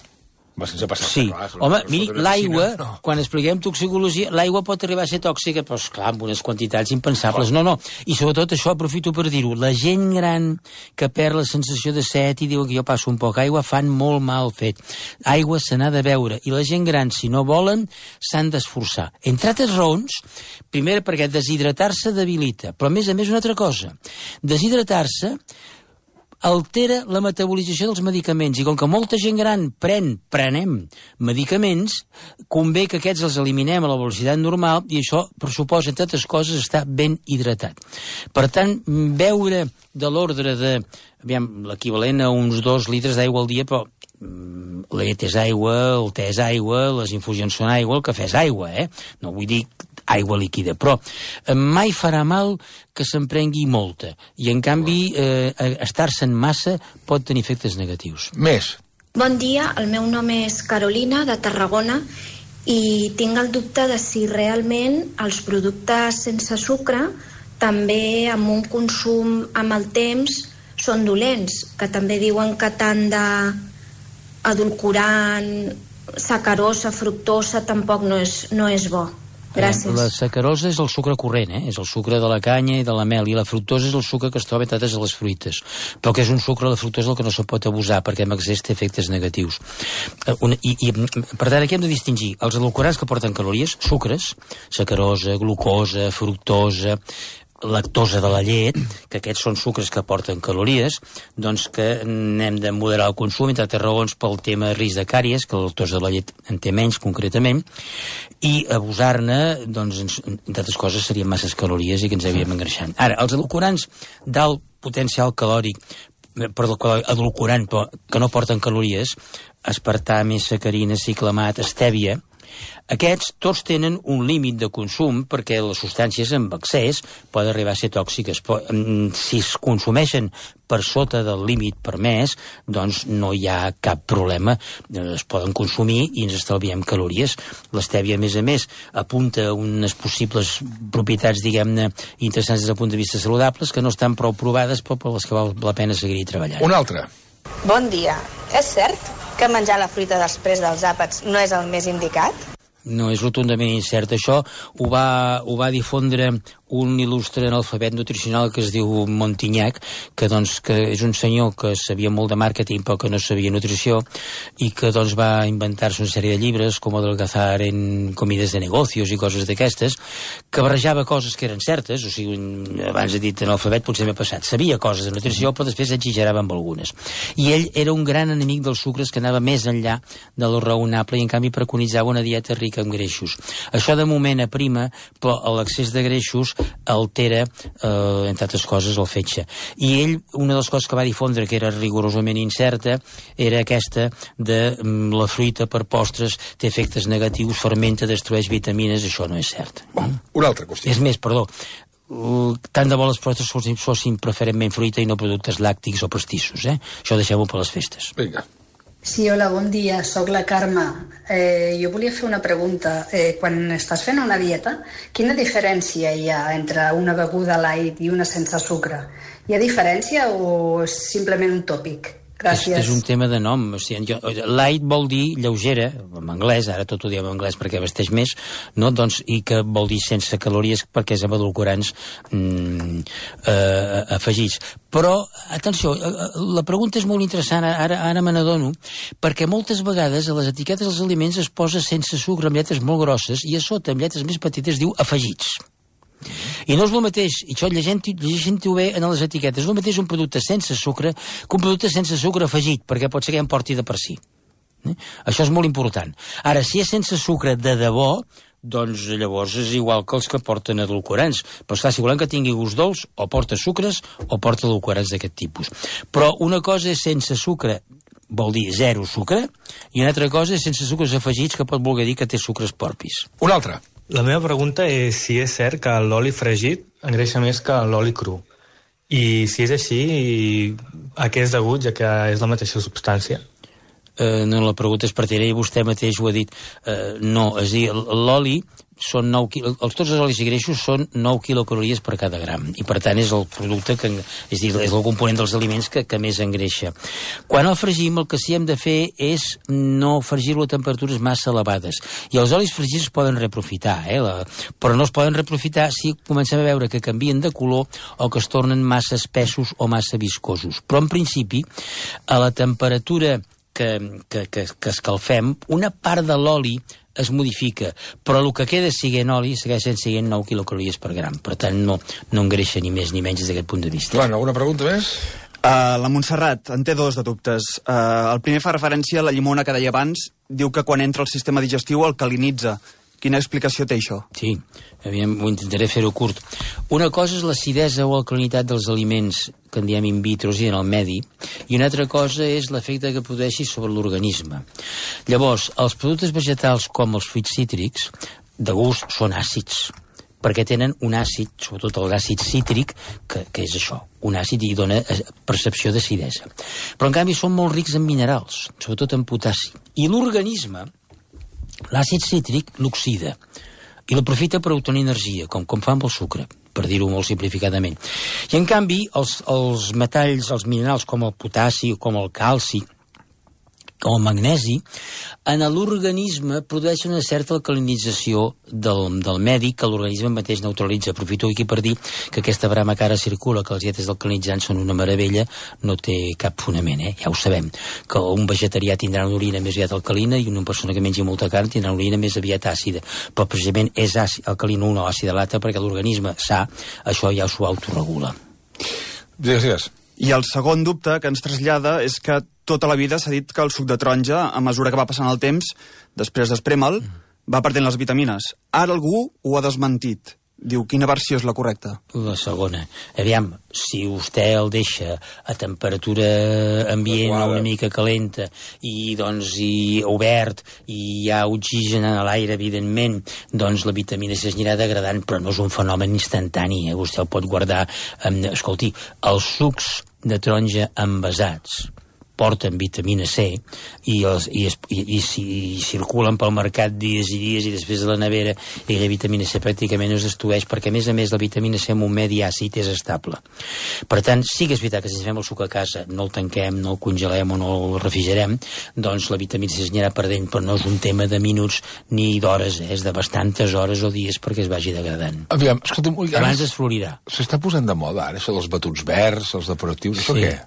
Va sense passar. Sí. Clar, home, miri, l'aigua, no. quan expliquem toxicologia, l'aigua pot arribar a ser tòxica, però, esclar, amb unes quantitats impensables. No, no. I sobretot això, aprofito per dir-ho, la gent gran que perd la sensació de set i diuen que jo passo un poc aigua, fan molt mal fet. Aigua se n'ha de beure. I la gent gran, si no volen, s'han d'esforçar. Entre altres raons, primer perquè deshidratar-se debilita, però a més a més una altra cosa. Deshidratar-se altera la metabolització dels medicaments i com que molta gent gran pren, prenem medicaments, convé que aquests els eliminem a la velocitat normal i això pressuposa, entre altres coses, estar ben hidratat. Per tant, beure de l'ordre de, aviam, l'equivalent a uns dos litres d'aigua al dia, però la llet és aigua, el te és aigua, les infusions són aigua, el cafè és aigua, eh? No vull dir aigua líquida. Però eh, mai farà mal que se'n prengui molta. I, en canvi, eh, estar-se'n massa pot tenir efectes negatius. Més. Bon dia, el meu nom és Carolina, de Tarragona, i tinc el dubte de si realment els productes sense sucre també amb un consum amb el temps són dolents, que també diuen que tant d'edulcorant, sacarosa, fructosa tampoc no és, no és bo. Gràcies. La sacarosa és el sucre corrent, eh? És el sucre de la canya i de la mel, i la fructosa és el sucre que es troba entre a les fruites. Però que és un sucre, la fructosa, el que no se pot abusar, perquè en excés té efectes negatius. Una, i, i, per tant, aquí hem de distingir els edulcorants que porten calories, sucres, sacarosa, glucosa, fructosa, lactosa de la llet, que aquests són sucres que porten calories, doncs que n'hem de moderar el consum, entre altres raons pel tema de risc de càries, que la lactosa de la llet en té menys concretament, i abusar-ne, doncs, entre altres coses, serien masses calories i que ens havíem engreixant. Ara, els edulcorants d'alt potencial calòric, perdó, edulcorant, però que no porten calories, aspartà, sacarina, ciclamat, estèvia, aquests tots tenen un límit de consum perquè les substàncies amb excés poden arribar a ser tòxiques. Si es consumeixen per sota del límit permès, doncs no hi ha cap problema. Es poden consumir i ens estalviem calories. L'estèvia, a més a més, apunta unes possibles propietats, diguem-ne, interessants des del punt de vista saludables, que no estan prou provades, però per les que val la pena seguir treballant. Un altre. Bon dia. És cert que menjar la fruita després dels àpats no és el més indicat? No, és rotundament incert. Això ho va, ho va difondre un il·lustre analfabet nutricional que es diu Montignac, que, doncs, que és un senyor que sabia molt de màrqueting però que no sabia nutrició, i que doncs, va inventar-se una sèrie de llibres com Adelgazar en comides de negocios i coses d'aquestes, que barrejava coses que eren certes. O sigui, abans he dit analfabet, potser m'ha passat, sabia coses de nutrició però després exagerava amb algunes. I ell era un gran enemic dels sucres, que anava més enllà de lo raonable i en canvi preconitzava una dieta rica en greixos. Això de moment aprima, però l'excés de greixos altera, eh, entre altres coses, el fetge. I ell, una de les coses que va difondre, que era rigorosament incerta, era aquesta de mm, la fruita per postres té efectes negatius, fermenta, destrueix vitamines. Això no és cert. Oh, una altra qüestió. És més, perdó, uh, tant de bo les postres fossin, fossin preferentment fruita i no productes làctics o pastissos, eh? Això deixem-ho per les festes. Vinga. Sí, hola, bon dia, sóc la Carme. Eh, jo volia fer una pregunta. Eh, quan estàs fent una dieta, quina diferència hi ha entre una beguda light i una sense sucre? Hi ha diferència o és simplement un tòpic? Gràcies. És, és un tema de nom. O sigui, jo, light vol dir lleugera, en anglès, ara tot ho diem en anglès perquè vesteix més, no? Doncs, i que vol dir sense calories perquè és amb edulcorants mm, eh, afegits. Però, atenció, la pregunta és molt interessant, ara, ara me n'adono, perquè moltes vegades a les etiquetes dels aliments es posa sense sucre amb lletres molt grosses i a sota amb lletres més petites diu afegits. I no és el mateix, i això llegint-ho bé en les etiquetes, és el mateix un producte sense sucre que un producte sense sucre afegit, perquè pot ser que ja en porti de per si. Eh? Això és molt important. Ara, si és sense sucre de debò, doncs llavors és igual que els que porten edulcorants. Però esclar, si volem que tingui gust dolç, o porta sucres o porta edulcorants d'aquest tipus. Però una cosa és sense sucre, vol dir zero sucre, i una altra cosa és sense sucres afegits, que pot voler dir que té sucres porpis. Un altre. La meva pregunta és si és cert que l'oli fregit engreixa més que l'oli cru. I si és així, a què és degut, ja que és la mateixa substància? Eh, no, la pregunta és pertinent i vostè mateix ho ha dit. Eh, no, és a dir, l'oli són nou quil... els, tots els olis i greixos són nou quilocalories per cada gram, i per tant és el producte que, és dir, és el component dels aliments que, que més engreixa. Quan el fregim, el que sí hem de fer és no fregir-lo a temperatures massa elevades, i els olis fregits es poden reaprofitar, eh, la... però no es poden reaprofitar si comencem a veure que canvien de color o que es tornen massa espessos o massa viscosos. Però en principi, a la temperatura que, que, que, que escalfem, una part de l'oli es modifica, però el que queda siguent oli segueixen siguent nou quilocalories per gram. Per tant, no, no engreixa ni més ni menys des d'aquest punt de vista. Joan, alguna pregunta més? Uh, la Montserrat en té dos de dubtes. Uh, el primer fa referència a la llimona que deia abans. Diu que quan entra al sistema digestiu alcalinitza. Quina explicació té això? Sí, aviam, ho intentaré fer-ho curt. Una cosa és l'acidesa o alcalinitat dels aliments que en diem in vitro i en el medi, i una altra cosa és l'efecte que produeixi sobre l'organisme. Llavors, els productes vegetals com els fruits cítrics de gust són àcids, perquè tenen un àcid, sobretot l'àcid cítric, que, que és això, un àcid i dona percepció d'acidesa. Però, en canvi, són molt rics en minerals, sobretot en potassi. I l'organisme, l'àcid cítric, l'oxida, i l'aprofita per obtenir energia, com, com fa amb el sucre, per dir-ho molt simplificadament. I, en canvi, els, els metalls, els minerals, com el potassi, com el calci, com el magnesi, en l'organisme produeix una certa alcalinització del, del medi que l'organisme mateix neutralitza. Aprofito aquí per dir que aquesta brama que ara circula, que els dietes alcalinitzants són una meravella, no té cap fonament, eh? Ja ho sabem, que un vegetarià tindrà una orina més aviat alcalina i una persona que mengi molta carn tindrà una orina més aviat àcida, però precisament és àcid, alcalina una o àcida l'altra perquè l'organisme sa, això ja s'ho autoregula. Digues, digues. I el segon dubte que ens trasllada és que tota la vida s'ha dit que el suc de taronja, a mesura que va passant el temps, després d'esprema'l, va perdent les vitamines. Ara algú ho ha desmentit. Diu, quina versió és la correcta? La segona. Aviam, si vostè el deixa a temperatura ambient una mica calenta i, doncs, i obert i hi ha oxigen a l'aire, evidentment, doncs la vitamina C es anirà degradant, però no és un fenomen instantani, eh? Vostè el pot guardar. Eh, escolti, els sucs de taronja envasats porten vitamina C i, els, i, es, i, i, i, i circulen pel mercat dies i dies i després de la nevera i la vitamina C pràcticament no es destrueix perquè, a més a més, la vitamina C en un medi àcid és estable. Per tant, sí que és veritat que si ens fem el suc a casa, no el tanquem, no el congelem o no el refrigerem, doncs la vitamina C es anirà perdent, però no és un tema de minuts ni d'hores, eh? És de bastantes hores o dies perquè es vagi degradant. Aviam, escolta'm, abans es florirà. S'està posant de moda ara, això dels batuts verds, els depuratius, això sí. Què?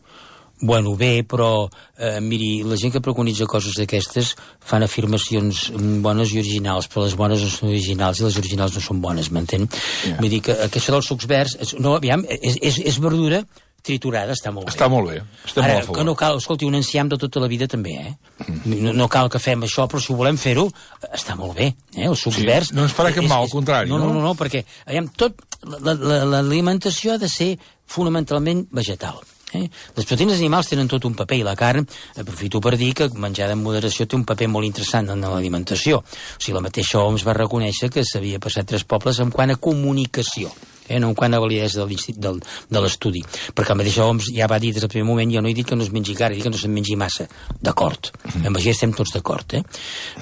Bueno, bé, però, eh, miri, la gent que preconitza coses d'aquestes fan afirmacions bones i originals, però les bones no són originals i les originals no són bones, m'entén? Yeah. Vull dir que, que això dels sucs verds, no, aviam, és, és, és verdura triturada, està molt bé. Està molt bé, estem Ara, molt a favor. que no cal, escolti, un enciam de tota la vida també, eh? Mm. No, no cal que fem això, però si ho volem fer-ho, està molt bé, eh? Els sucs sí, verds... No ens farà cap mal, al contrari, no? No, no, no, perquè, aviam, tot, l'alimentació ha de ser fonamentalment vegetal. Eh? Les proteïnes animals tenen tot un paper i la carn, aprofito per dir que menjar en moderació té un paper molt interessant en l'alimentació. O sigui, la mateixa O M S va reconèixer que s'havia passat tres pobles en quant a comunicació, eh? No en quant a validesa del, del, de l'estudi, perquè el mateix O M S ja va dir des del primer moment, jo no he dit que no es mengi cara, he dit que no se'n mengi massa, d'acord, mm. amb això estem tots d'acord, eh?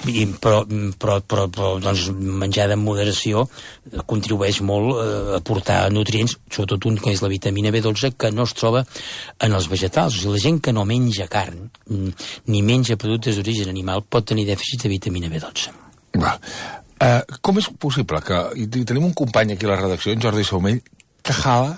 I, però, però, però, però doncs, menjar en moderació contribueix molt eh, a aportar nutrients, sobretot un que és la vitamina B dotze, que no es troba en els vegetals. O sigui, la gent que no menja carn ni menja productes d'origen animal pot tenir dèficit de vitamina B dotze. Val. Uh, com és possible que... I tenim un company aquí a la redacció, en Jordi Saumell, que jala...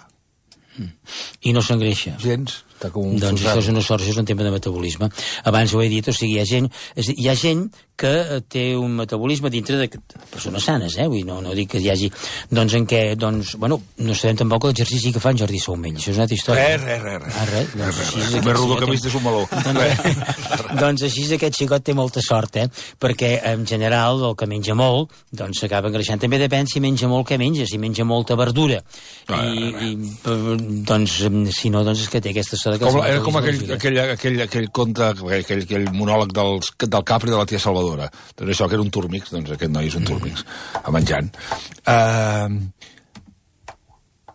I no s'engreixa. Gens. Com doncs això és una sort, això és un tema de metabolisme. Abans ho he dit, o sigui, hi ha gent, és, hi ha gent que té un metabolisme dintre de persones sanes, eh? Vull, no, no dic que hi hagi... Doncs en què, doncs, bueno, no sabem tampoc l'exercici que fa en Jordi Saumell. Això és una altra història. Res, res, res. Ah, res? Doncs així és... Més rodó que vist és un meló. Doncs, doncs així és, aquest xicot té molta sort, eh? Perquè, en general, el que menja molt, doncs s'acaba engreixant. També depèn si menja molt, què menja. Si menja molta verdura. Ah, I, i, doncs, si no, doncs és que té aquesta sort. Com, era com aquell, aquell, aquell, aquell conte, aquell, aquell monòleg dels, del Capri de la tia Salvadora. Doncs això, que era un túrmix, doncs aquest noi és un túrmix, a menjant. Uh,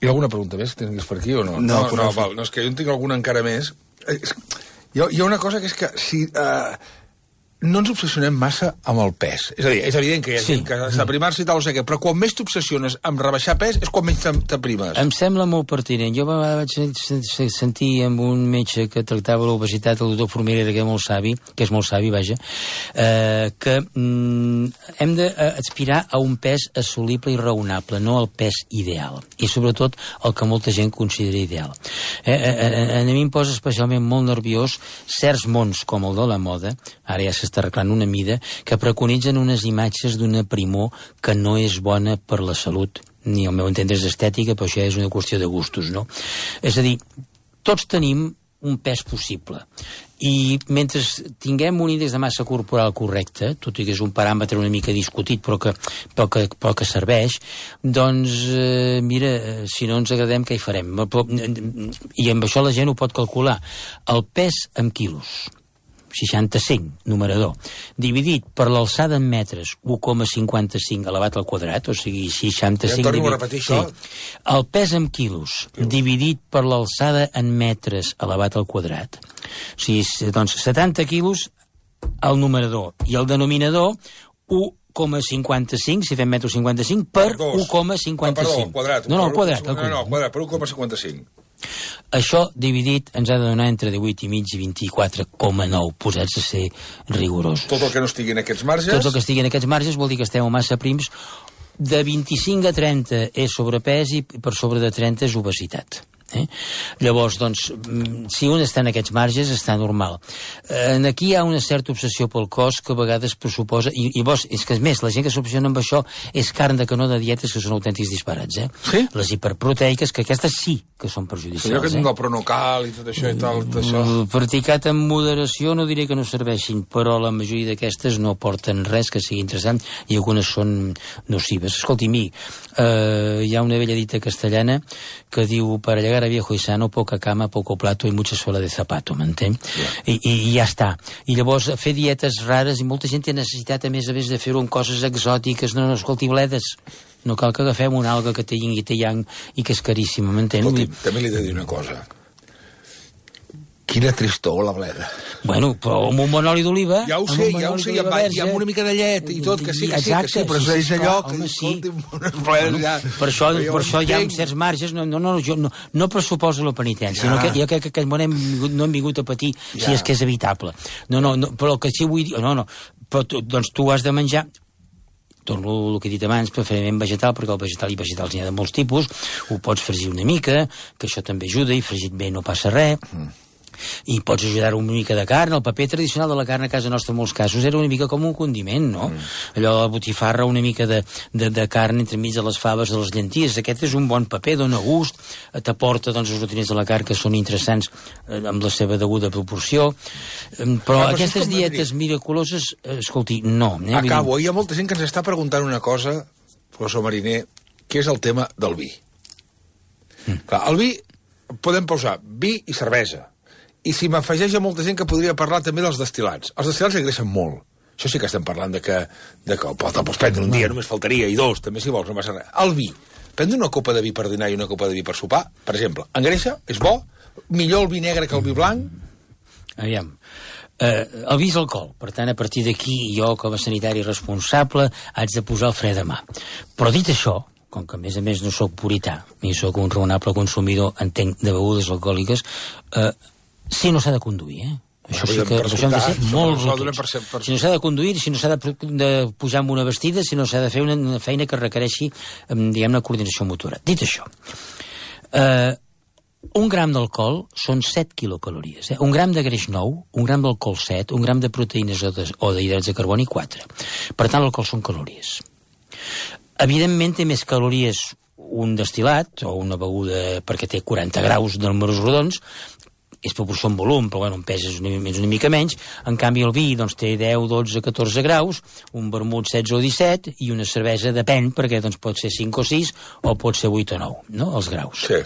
hi ha alguna pregunta més que tinguis per aquí o no? No, no, no, val, no, és que jo en tinc alguna encara més. Hi ha, hi ha una cosa que és que si... Uh, no ens obsessionem massa amb el pes. És a dir, és evident que hi ha sí. gent que s'aprimar-se i tal, o sigui, però quan més t'obsessiones amb rebaixar pes és quan menys t'aprimes. Em sembla molt pertinent. Jo vaig sentir amb un metge que tractava l'obesitat, el doctor Formirera, que és molt savi, que és molt savi, vaja, eh, que mm, hem d'aspirar a un pes assolible i raonable, no al pes ideal. I sobretot el que molta gent considera ideal. Eh, eh, a mi em posa especialment molt nerviós certs mons com el de la moda, ara ja s'està arreglant una mida, que preconitzen unes imatges d'una primor que no és bona per la salut, ni al meu entendre és estètica, però això és una qüestió de gustos, no? És a dir, tots tenim un pes possible, i mentre tinguem un índex de massa corporal correcte, tot i que és un paràmetre una mica discutit, però que, però que, però que serveix, doncs, eh, mira, si no ens agradem, què hi farem? I amb això la gent ho pot calcular. El pes en quilos. seixanta-cinc, numerador, dividit per l'alçada en metres, u coma cinquanta-cinc elevat al quadrat, o sigui, seixanta-cinc... Ja torno a repetir això. Sí. El pes en quilos, quilos, dividit per l'alçada en metres elevat al quadrat. O sigui, doncs, setanta quilos al numerador, i el denominador, u coma cinquanta-cinc, si fem metro cinquanta-cinc, per u coma cinquanta-cinc. Perdó, el quadrat. No, no, el quadrat. No, no, el quadrat, per u coma cinquanta-cinc. Això dividit ens ha de donar entre divuit i mig i vint-i-quatre coma nou, posats a ser rigorosos. Tot el que no estigui en aquests marges... Tot el que estigui en aquests marges vol dir que estem massa prims. De vint-i-cinc a trenta és sobrepès i per sobre de trenta és obesitat. Eh? Llavors, doncs, si un està en aquests marges, està normal. Eh, aquí hi ha una certa obsessió pel cos que a vegades pressuposa, i, i vos, és que, més, la gent que s'obsessiona amb això és carn de canó de dietes que són autèntics disparats, eh? Sí? Les hiperproteiques, que aquestes sí que són perjudicials. Allò que tinc eh? el pronocal i tot això i tal, tot això... Practicat amb moderació no diré que no serveixin, però la majoria d'aquestes no aporten res que sigui interessant i algunes són nocives. Escolti, mi, eh, hi ha una vella dita castellana que diu, para llegar a viejo y sano, poca cama, poco plato y mucha suela de zapato, m'entén? Yeah. I, I ja està. I llavors fer dietes rares, i molta gent té necessitat a més a més de fer-ho amb coses exòtiques. No, no, escolti, bledes, no cal que agafem una alga que té yin i té yang i que és caríssima, m'entén? Escolti, també li he de dir una cosa. Quina tristor, la bleda. Bueno, però amb un bon oli d'oliva... Ja ho sé, ja ho sé, i amb, i amb una mica de llet i tot, que sí, que sí, que sí, però és allò que, escolti, unes bledes ja... Per això, per això hi ha certs marges, no, no, no, jo no, no pressuposo la penitència, no, que, jo crec que aquest món hem vingut, no hem vingut a patir si és que és evitable. No, no, no, però el que sí vull dir... No, no, però tu, doncs tu has de menjar... Torno el que he dit abans, preferiment vegetal, perquè el vegetal i vegetals n'hi ha de molts tipus, ho pots fregir una mica, que això també ajuda, i fregit bé no passa res... Mm. I pots ajudar una mica de carn. El paper tradicional de la carn a casa nostra en molts casos era una mica com un condiment, no? Mm. Allò de la botifarra, una mica de, de, de carn entremig de les faves, de les llenties. Aquest és un bon paper, dona gust, t'aporta doncs, els nutrients de la carn que són interessants eh, amb la seva deguda proporció. Eh, però ah, aquestes dietes miraculoses, eh, escolti, no. Eh? Acabo, hi ha molta gent que ens està preguntant una cosa, professor Mariner, que és el tema del vi. Mm. Clar, el vi, podem posar vi i cervesa. I si m'afegeix a molta gent que podria parlar també dels destil·lats. Els destil·lats engreixen molt. Això sí que estem parlant de que, de que te'l pots prendre un dia, només faltaria, i dos, també si vols, no passa res. El vi. Prendre una copa de vi per dinar i una copa de vi per sopar, per exemple, engreixa, és bo, millor el vi negre que el vi blanc. Aviam. Eh, el vi és alcohol, per tant, a partir d'aquí, jo, com a sanitari responsable, haig de posar el fre de mà. Però dit això, com que a més a més no sóc purità, ni sóc un raonable consumidor, entenc, de begudes alcohòliques, eh, si no s'ha de conduir, eh? Això sí que això hem de ser molt rotons. Si no s'ha de conduir, si no s'ha de, de pujar amb una vestida, si no s'ha de fer una, una feina que requereixi, diguem-ne, coordinació motora. Dit això, eh, un gram d'alcohol són set quilocalories. Eh? Un gram de greix nou, un gram d'alcohol set, un gram de proteïnes o d'hidrats de carboni quatre. Per tant, l'alcohol són calories. Evidentment té més calories un destil·lat o una beguda perquè té quaranta graus de números rodons, és proporció en volum, però bueno, en pes és una, és una mica menys. En canvi el vi doncs, té deu, dotze, catorze graus, un vermut setze o disset, i una cervesa depèn, perquè doncs, pot ser cinc o sis o pot ser vuit o nou, no? Els graus. Sí.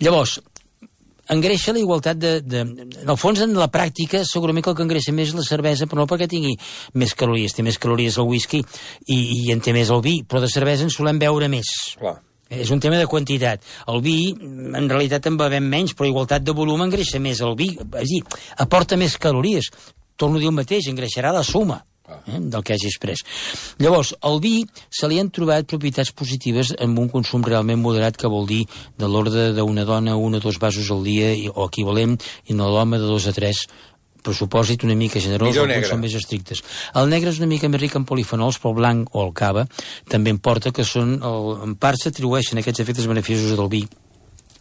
Llavors, engreixa la igualtat de, de... En el fons, en la pràctica, segurament que el que engreixa més és la cervesa, però no perquè tingui més calories. Té més calories el whisky i, i en té més el vi, però de cervesa en solem beure més. Clar. És un tema de quantitat. El vi, en realitat, en bevem menys, però igualtat de volum engreixa més el vi. És a dir, aporta més calories. Torno a dir el mateix, engreixarà la suma eh, del que hagis pres. Llavors, al vi se li han trobat propietats positives amb un consum realment moderat, que vol dir de l'ordre d'una dona, un o dos vasos al dia, o equivalent, i en l'home de dos a tres, pressupòsit una mica generós, alguns són més estrictes. El negre és una mica més ric en polifenols, però el blanc o el cava també em porta que són, el, en part s'atribueixen aquests efectes beneficiosos del vi,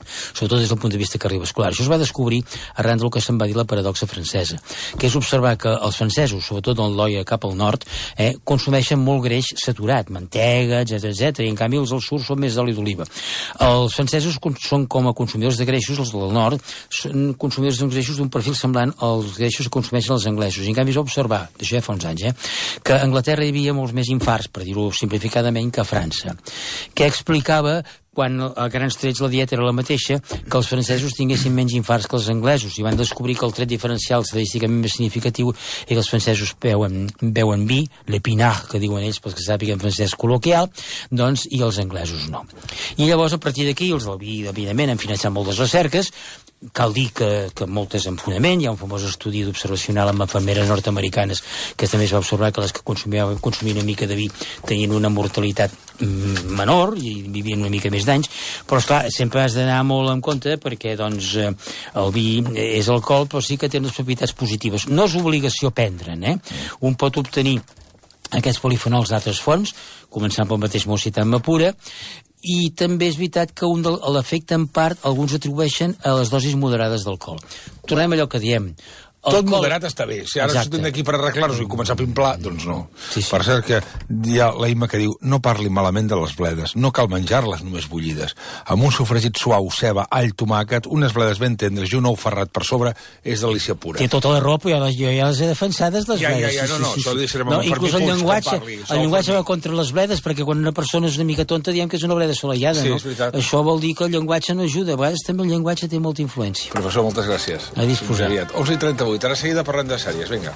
sobretot des del punt de vista cardiovascular. Això es va descobrir arran del que se'n va dir la paradoxa francesa, que és observar que els francesos, sobretot en l'oia cap al nord, eh, consumeixen molt greix saturat, mantega, etcètera, etcètera, i en canvi els del sud són més d'oli d'oliva. Els francesos són, com a consumidors de greixos, els del nord, són consumidors d'uns greixos d'un perfil semblant als greixos que consumeixen els anglesos. I en canvi es va observar, d'això ja fa uns anys, eh, que a Anglaterra hi havia molts més infarts, per dir-ho simplificadament, que a França, que explicava quan a grans trets la dieta era la mateixa, que els francesos tinguessin menys infarts que els anglesos, i van descobrir que el tret diferencial estadísticament més significatiu és que els francesos beuen, beuen vi, l'épinard, que diuen ells, pels que sàpiguen francès col·loquial, doncs, i els anglesos no. I llavors, a partir d'aquí, els del vi, evidentment, han finançat moltes recerques. Cal dir que, que moltes en fonament. Hi ha un famós estudi d'observacional amb infermeres nord-americanes que també es va observar que les que consumien, consumien una mica de vi tenien una mortalitat menor i vivien una mica més d'anys, però esclar, sempre has d'anar molt en compte perquè doncs el vi és alcohol, però sí que té unes propietats positives. No és obligació prendre'n, eh? Un pot obtenir aquests polifenols d'altres fonts, començant pel mateix Mocitat Mapura, i també és veritat que un de l'efecte en part alguns atribueixen a les dosis moderades d'alcohol. Tornem a allò que diem. Tot alcohol... moderat està bé. Si ara estem aquí per arreglar-nos i començar a pimplar, doncs no. Sí, sí. Per cert que hi ha l'Eima que diu no parli malament de les bledes, no cal menjar-les només bullides. Amb un sofregit suau, ceba, all, tomàquet, unes bledes ben tendres i un ou ferrat per sobre és delícia pura. Té tota la raó, però jo, jo ja les he defensades, les ja, bledes. Ja, ja, no, no, sí, sí, això sí. deixarem no, amb inclús el llenguatge, parli, el llenguatge va contra les bledes, perquè quan una persona és una mica tonta diem que és una bleda assolellada, sí, no? Això vol dir que el llenguatge no ajuda. A vegades també el llenguatge té molta influència. Professor, moltes gràcies. A disposar. onze i trenta-vuit. Ara seguida parlem de sèries. Vinga.